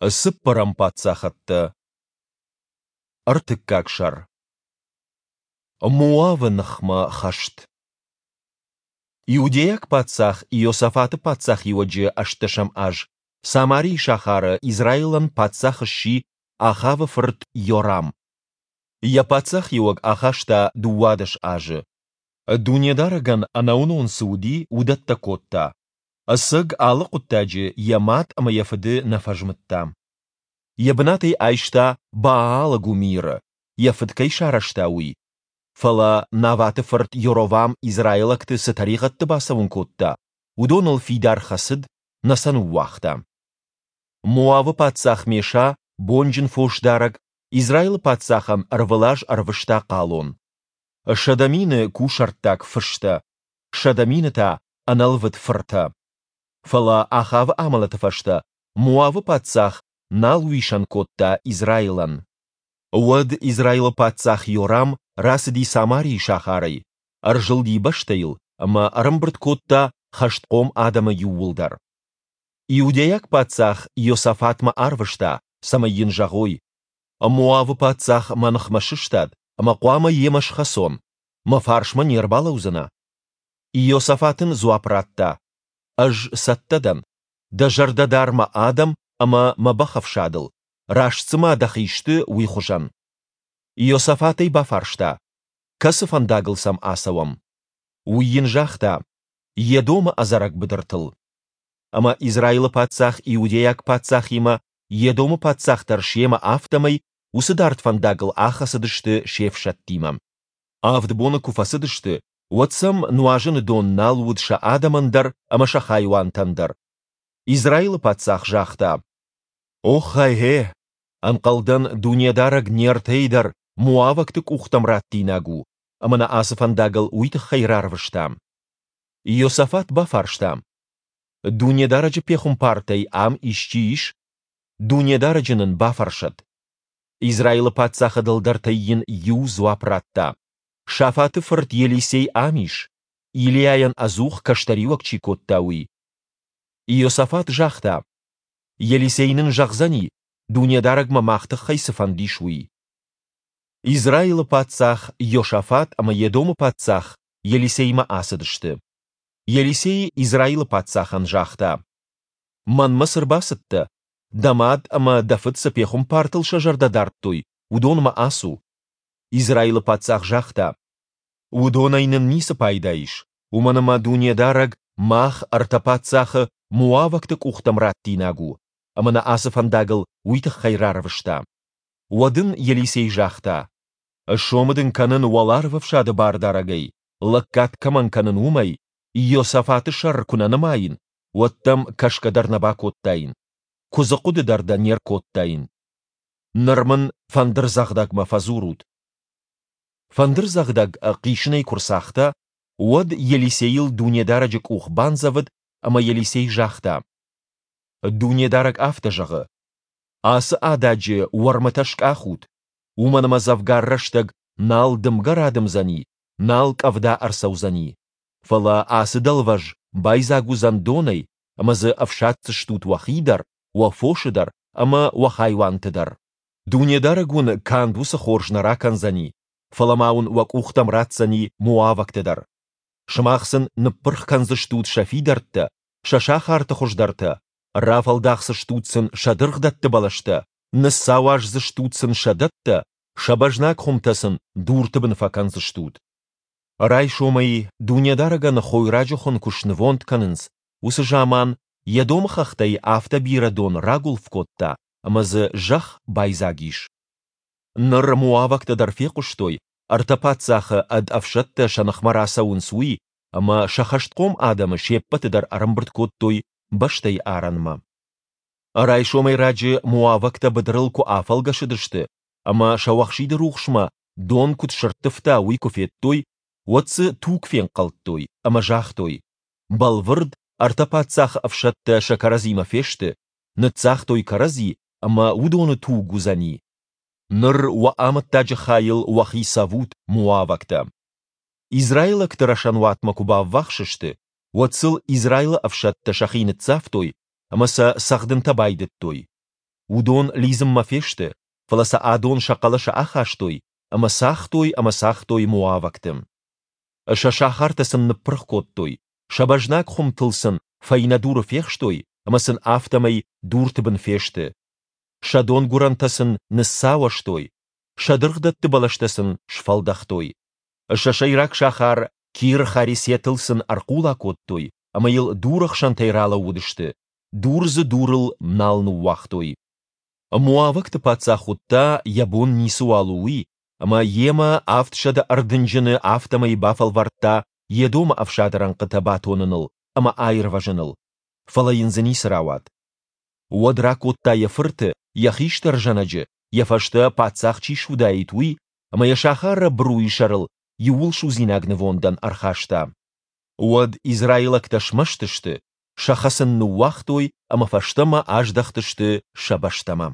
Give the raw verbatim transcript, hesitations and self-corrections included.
Цыппӕрӕм паддзахӕдтӕ. Ӕртыккаг сӕр. Моавы ныхмӕ хӕст. Иудейаг паддзах Иосафаты паддзахиуӕджы ӕстдӕсӕм аз Самарийы сахары Израилӕн паддзах сси Ахавы фырт Йорам. Йӕ паддзахиуӕг ахаста дыууадӕс азы. Дунедарӕгӕн ӕнӕуынон цы уыди, уыдӕттӕ кодта. Ӕцӕг алы хъуыддаджы йӕ мад ӕмӕ йӕ фыды нӕ фӕзмыдта. Йӕ бынатӕй айста Баалы гуымиры, йӕ фыд кӕй сарӕзта, уый. Фӕлӕ Наваты фырт Йоровам израилӕгты цы тӕригъӕдты бацӕуын кодта, уыдоныл фидар хӕцыд, нӕ сӕ ныууагъта. Моавы паддзах Меша, бонджын фосдарӕг, Израилы паддзахӕн ӕрвылаз ӕрвыста хъалон. Сӕдӕ мины кусӕрттаг фыстӕ, сӕдӕ мины та ӕнӕлвыд фыртӕ. Фӕлӕ Ахавы амӕлӕты фӕстӕ Моавы паддзах нал уисӕн кодта Израилӕн. Уӕд Израилы паддзах Йорам рацыди Самарийы сахарӕй, ӕрзылди бӕстӕйыл ӕмӕ ӕрӕмбырд кодта хӕстхъом адӕмы иууылдӕр. Иудейаг паддзах Иосафатмӕ арвыста, цӕмӕй йын зӕгъой: Моавы паддзах мӕ ныхмӕ сыстад, ӕмӕ хъуамӕ йемӕ схӕцон. Мӕ фарсмӕ не рбалӕудзынӕ? Иосафат ын дзуапп радта: Ӕз цӕттӕ дӕн. Дӕ зӕрдӕ дар мӕ адӕм ӕмӕ мӕ бӕхӕфсадыл, раст цыма дӕхи сты, уый хуызӕн. Иосафат ӕй бафарста: Кӕцы фӕндагыл сӕм ацӕуӕм? Уый йын загъта: Едомы ӕдзӕрӕг быдыртыл. Ӕмӕ Израилы паддзах иудейаг паддзахимӕ, Едомы паддзах дӕр семӕ, афтӕмӕй уыцы дард фӕндагыл ахӕцыдысты се фсӕдтимӕ. Авд боны куы фӕцыдысты, уӕд сӕм нуазыны дон нал уыд сӕ адӕмӕн дӕр ӕмӕ сӕ хайуантӕн дӕр. Израилы паддзах загъта: Оххай-гъе! Ӕнхъӕлдӕн, Дунедарӕг не ртӕйы дӕр моавӕгты къухтӕм раттинаг у, ӕмӕ нӕ ацы фӕндагыл уый тыххӕй рарвыста. Иосафат бафарста: Дунедарӕджы пехуымпартӕй ам исчи ис? Дунедарӕджы нын бафӕрсӕд. Израилы паддзахы дӕлдӕртӕй йын иу дзуапп радта: Шафаты фырт Елисей ам ис, Илийайӕн ӕдзух кӕстӕриуӕг чи кодта, уый. Иосафат загъта: Елисей нын зӕгъдзӕни, Дунедарӕгмӕ мах тыххӕй цы фӕнд ис, уый. Израилы паддзах Иосафат ӕмӕ Едомы паддзах Елисеймӕ ацыдысты. Елисей Израилы паддзахӕн загъта: Мӕнмӕ цы рбацыдтӕ? Дӕ мад ӕмӕ дӕ фыд цы пехуымпартыл сӕ зӕрдӕ дардтой, уыдонмӕ ацу. Израилы паддзах загъта: Уыдонӕй нын ницы пайда ис, уымӕн ӕмӕ Дунедарӕг мах, ӕртӕ паддзахы, моавӕгты къухтӕм раттинаг у, ӕмӕ нӕ ацы фӕндагыл уый тыххӕй рарвыста. Уӕд ын Елисей загъта: Сомы дын кӕнын Уӕларвӕфсады Бардарӕгӕй, лӕггад кӕмӕн кӕнын, уымӕй, Иосафаты сӕр куы нӕ нымаин, уӕд дӕм кӕсгӕ дӕр нӕ бакодтаин, куыдзы хъуыды дӕр дӕ не ркодтаин. Ныр мын фӕндырдзӕгъдӕгмӕ фӕдзурут. Фӕндырдзӕгъдӕг хъисынӕй куы рцагъта, уӕд Елисейыл Дунедарӕджы къух бандзӕвыд, ӕмӕ Елисей загъта: Дунедарӕг афтӕ зӕгъы: Ацы ададжы уӕрмытӕ скъахут, уымӕн ӕмӕ дзӕвгар рӕстӕг нал дымгӕ радымдзӕни, нал къӕвда ӕрцӕудзӕни. Фӕлӕ ацы дӕлвӕз байдзаг уыдзӕн донӕй, ӕмӕ дзы ӕфсаддзыстут уӕхи дӕр, уӕ фосы дӕр ӕмӕ уӕ хайуанты дӕр. Дунедарӕг уын канд уыцы хорз нӕ ракӕндзӕни, фӕлӕ ма уын уӕ къухтӕм ратдзӕни моавӕгты дӕр. Сымах сын ныппырх кӕндзыстут сӕ фидӕрттӕ, сӕ сахарты хуыздӕртӕ, рафӕлдахдзыстут сын сӕ дыргъдӕтты бӕлӕстӕ, ныссауаздзыстут сын сӕ дӕттӕ, сӕ бӕзнаг хуымтӕ сын дурты бын фӕкӕндзыстут. Райсомӕй Дунедарӕгӕн хойраджы хуын куы снывонд кӕнынц, уыцы заман Едомы хӕхтӕй афтӕ бирӕ дон рагуылф кодта, ӕмӕ дзы зӕхх байдзаг ис. Ныр моавӕгтӕ дӕр фехъуыстой, ӕртӕ паддзахы ӕд ӕфсӕдтӕ сӕ ныхмӕ рацӕуынц, уый, ӕмӕ сӕ хӕстхъом адӕмы се ппӕты дӕр ӕрӕмбырд кодтой бӕстӕйы арӕнмӕ. Райсомӕй раджы моавӕгтӕ быдырыл куы афӕлгӕсыдысты ӕмӕ сӕуӕхсиды рухсмӕ дон куыд сӕрттывта, уый куы федтой, уӕд дзы туг фенхъӕлдтой ӕмӕ загътой: Бӕлвырд, ӕртӕ паддзахы ӕфсӕдтӕ сӕ кӕрӕдзимӕ фесты, ныццагътой кӕрӕдзи, ӕмӕ уыдоны туг уыдзӕни. Ныр уӕ амӕттаджы хайыл уӕхи цӕвут, моавӕгтӕ. Израилӕгты рӕсӕнуатмӕ куы баввахс сты, уӕд сыл Израилы ӕфсӕдтӕ сӕхи ныццавтой ӕмӕ сӕ цӕгъдынтӕ байдыдтой. Уыдон лидзынмӕ фесты, фӕлӕ сӕ адон сӕ хъӕлӕсы ахастой ӕмӕ цагътой ӕмӕ цагътой моавӕгты. Сӕ сахартӕ сын ныппырх кодтой, сӕ бӕзнаг хуымтыл сын фӕйнӕ дуры фехстой ӕмӕ сын афтӕмӕй дурты бын фесты. Сӕ донгуырӕнтӕ сын ныссауӕзтой, сӕ дыргъдӕтты бӕлӕстӕ сын сфӕлдӕхтой. Сӕ сӕйраг сахар Кир-Харесетыл сын ӕрхъула кодтой ӕмӕ йыл дурӕхсӕнтӕй ралӕууыдысты, дур дзы дурыл нал ныууагътой. Моавӕгты паддзах уыдта, йӕ бон ницыуал у, уый, ӕмӕ йемӕ авдсӕдӕ ӕрдынджыны, афтӕмӕй бафӕлвӕрдта Едомы ӕфсады рӕнхъытӕ батоныныл ӕмӕ аирвӕзыныл, фӕлӕ йын дзы ницы рауад. Уӕд ракодта йӕ фырты, йӕ хистӕр зӕнӕджы, йӕ фӕстӕ паддзах чи суыдаид, уый, ӕмӕ йӕ сахары быруйы сӕрыл иууылсудзинаг нывондӕн ӕрхаста. Уӕд израилӕгтӕ смӕсты сты, сӕ хӕцын ныууагътой ӕмӕ фӕстӕмӕ аздӕхтысты сӕ бӕстӕмӕ.